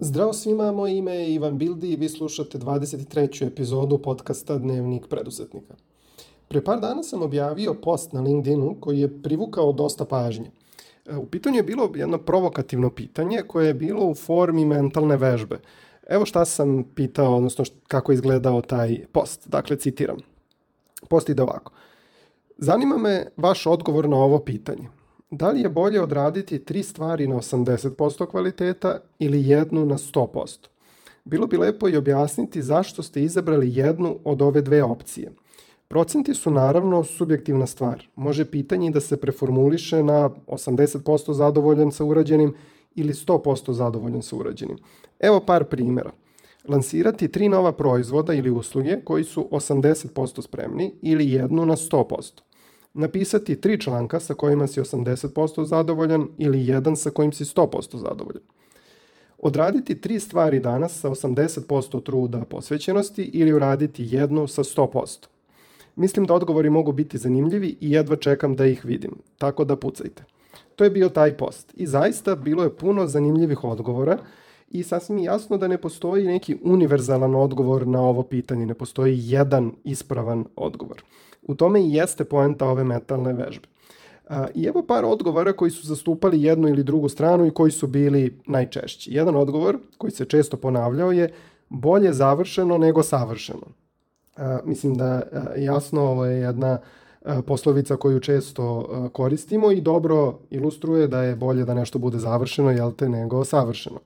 Zdravo svima, moje ime je Ivan Bildi i vi slušate 23. epizodu podcasta Dnevnik preduzetnika. Pre par dana sam objavio post na LinkedInu koji je privukao dosta pažnje. U pitanju je bilo jedno provokativno pitanje koje je bilo u formi mentalne vežbe. Evo šta sam pitao, odnosno kako je izgledao taj post. Dakle, citiram. Post ide ovako. Zanima me vaš odgovor na ovo pitanje. Da li je bolje odraditi 3 stvari na 80% kvaliteta ili jednu na 100%? Bilo bi lepo i objasniti zašto ste izabrali jednu od ove dve opcije. Procenti su naravno subjektivna stvar. Može pitanje da se preformuliše na 80% zadovoljan sa urađenim ili 100% zadovoljan sa urađenim. Evo par primjera. Lansirati 3 nova proizvoda ili usluge koji su 80% spremni ili jednu na 100%. Napisati 3 članka sa kojima si 80% zadovoljan ili jedan sa kojim si 100% zadovoljan. Odraditi 3 stvari danas sa 80% truda posvećenosti ili uraditi jednu sa 100%. Mislim da odgovori mogu biti zanimljivi i jedva čekam da ih vidim, tako da pucajte. To je bio taj post i zaista bilo je puno zanimljivih odgovora i sasvim je jasno da ne postoji neki univerzalan odgovor na ovo pitanje, ne postoji jedan ispravan odgovor. U tome i jeste poenta ove mentalne vežbe. I evo par odgovora koji su zastupali jednu ili drugu stranu i koji su bili najčešći. Jedan odgovor koji se često ponavljao je bolje završeno nego savršeno. Mislim da jasno ovo je jedna poslovica koju često koristimo i dobro ilustruje da je bolje da nešto bude završeno, jel te, nego savršeno.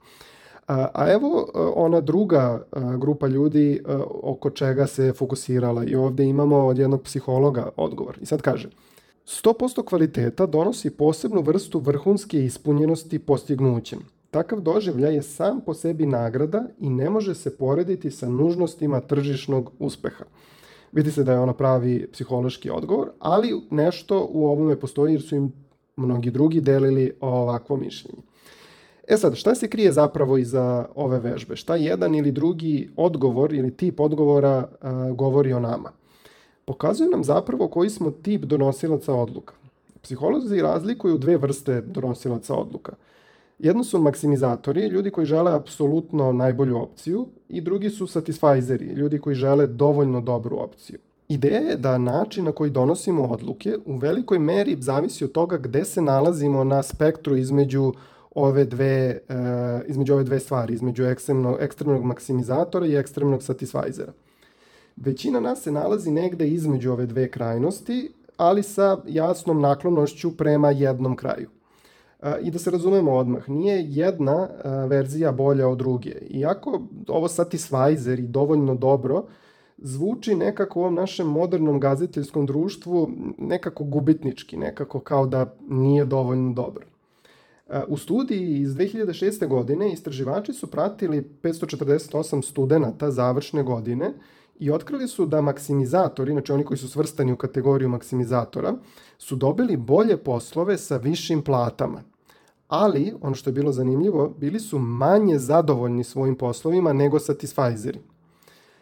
A evo ona druga grupa ljudi oko čega se fokusirala i ovdje imamo od jednog psihologa odgovor. I sad kaže, 100% kvaliteta donosi posebnu vrstu vrhunske ispunjenosti postignućem. Takav doživljaj je sam po sebi nagrada i ne može se porediti sa nužnostima tržišnog uspeha. Vidi se da je ono pravi psihološki odgovor, ali nešto u ovome postoji jer su im mnogi drugi delili ovakvo mišljenje. E sad, šta se krije zapravo iza ove vežbe? Šta jedan ili drugi odgovor ili tip odgovora govori o nama? Pokazuje nam zapravo koji smo tip donosilaca odluka. Psiholozi razlikuju 2 vrste donosilaca odluka. Jedno su maksimizatori, ljudi koji žele apsolutno najbolju opciju, i drugi su satisfajzeri, ljudi koji žele dovoljno dobru opciju. Ideja je da način na koji donosimo odluke u velikoj meri zavisi od toga gde se nalazimo na spektru između ove dve stvari, između ekstremnog maksimizatora i ekstremnog satisfajzera. Većina nas se nalazi negde između ove dve krajnosti, ali sa jasnom naklonošću prema jednom kraju. I da se razumemo odmah, nije jedna verzija bolja od druge. Iako ovo satisfajzer i dovoljno dobro zvuči nekako u ovom našem modernom gaziteljskom društvu nekako gubitnički, nekako kao da nije dovoljno dobro. U studiji iz 2006. godine istraživači su pratili 548 studenata završne godine i otkrili su da maksimizatori, znači oni koji su svrstani u kategoriju maksimizatora, su dobili bolje poslove sa višim platama. Ali, ono što je bilo zanimljivo, bili su manje zadovoljni svojim poslovima nego satisfajzeri.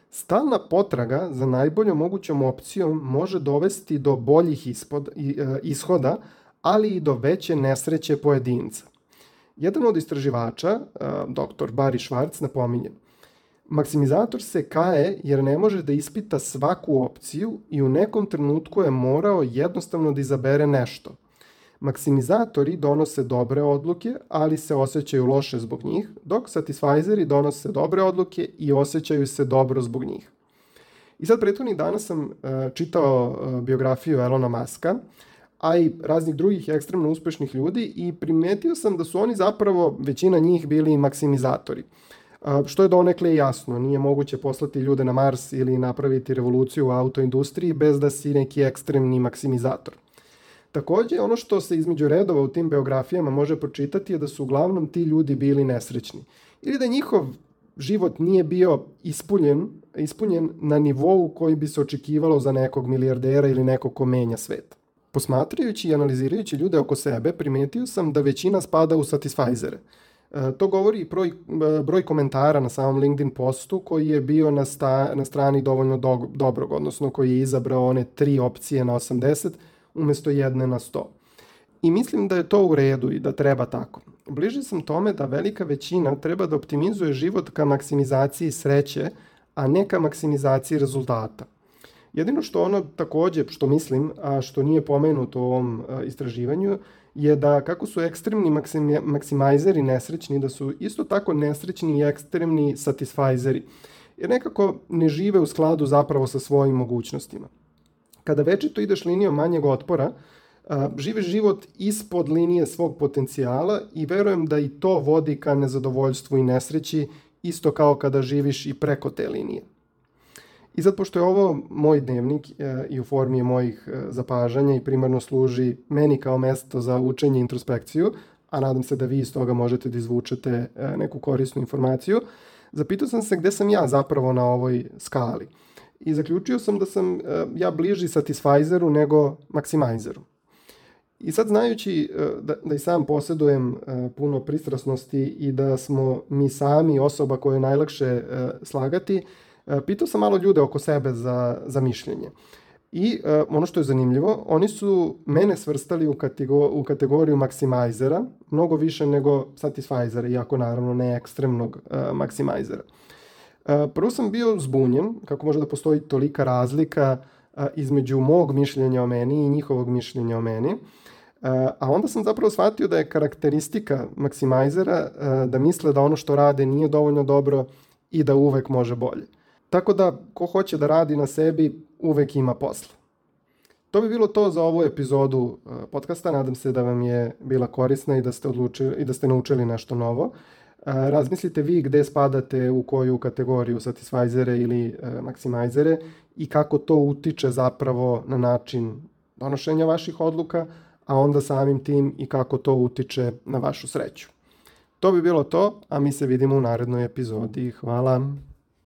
Stalna potraga za najboljom mogućom opcijom može dovesti do boljih ishoda, ali i do veće nesreće pojedinca. Jedan od istraživača, dr. Barry Schwartz, napominje: maksimizator se kaje jer ne može da ispita svaku opciju i u nekom trenutku je morao jednostavno da izabere nešto. Maksimizatori donose dobre odluke, ali se osjećaju loše zbog njih, dok satisfajzeri donose dobre odluke i osjećaju se dobro zbog njih. I sad prethodnih dana sam čitao biografiju Elona Muska, a i raznih drugih ekstremno uspešnih ljudi i primetio sam da su oni zapravo, većina njih, bili maksimizatori. Što je donekle jasno, nije moguće poslati ljude na Mars ili napraviti revoluciju u autoindustriji bez da si neki ekstremni maksimizator. Također, ono što se između redova u tim biografijama može pročitati je da su uglavnom ti ljudi bili nesrećni. Ili da njihov život nije bio ispunjen na nivou koji bi se očekivalo za nekog milijardera ili nekog ko menja svet. Posmatrajući i analizirajući ljude oko sebe, primetio sam da većina spada u satisfajzere. To govori i broj komentara na samom LinkedIn postu koji je bio na strani dovoljno dobrog, odnosno koji je izabrao one 3 opcije na 80 umjesto jedne na 100. I mislim da je to u redu i da treba tako. Bliži sam tome da velika većina treba da optimizuje život ka maksimizaciji sreće, a ne ka maksimizaciji rezultata. Jedino što ono takođe, što mislim, a što nije pomenuto u ovom istraživanju, je da kako su ekstremni maksimajzeri nesrećni, da su isto tako nesrećni i ekstremni satisfajzeri. Jer nekako ne žive u skladu zapravo sa svojim mogućnostima. Kada večito ideš linijom manjeg otpora, živiš život ispod linije svog potencijala i verujem da i to vodi ka nezadovoljstvu i nesreći, isto kao kada živiš i preko te linije. I sad, pošto je ovo moj dnevnik i u formi je mojih zapažanja i primarno služi meni kao mesto za učenje i introspekciju, a nadam se da vi iz toga možete da izvučete neku korisnu informaciju, zapitao sam se gde sam ja zapravo na ovoj skali. I zaključio sam da sam ja bliži satisfajzeru nego maksimajzeru. I sad, znajući da i sam posjedujem puno pristrasnosti i da smo mi sami osoba koju je najlakše slagati, pitao sam malo ljude oko sebe za mišljenje. I ono što je zanimljivo, oni su mene svrstali u kategoriju maksimajzera, mnogo više nego satisfajzera, iako naravno ne ekstremnog maksimajzera. Prvo sam bio zbunjen kako može da postoji tolika razlika između mog mišljenja o meni i njihovog mišljenja o meni. A onda sam zapravo shvatio da je karakteristika maksimajzera da misle da ono što rade nije dovoljno dobro i da uvek može bolje. Tako da, ko hoće da radi na sebi, uvek ima posla. To bi bilo to za ovu epizodu podcasta. Nadam se da vam je bila korisna i da ste naučili nešto novo. Razmislite vi gde spadate, u koju kategoriju, satisfajzere ili maksimajzere, i kako to utiče zapravo na način donošenja vaših odluka, a onda samim tim i kako to utiče na vašu sreću. To bi bilo to, a mi se vidimo u narednoj epizodi. Hvala!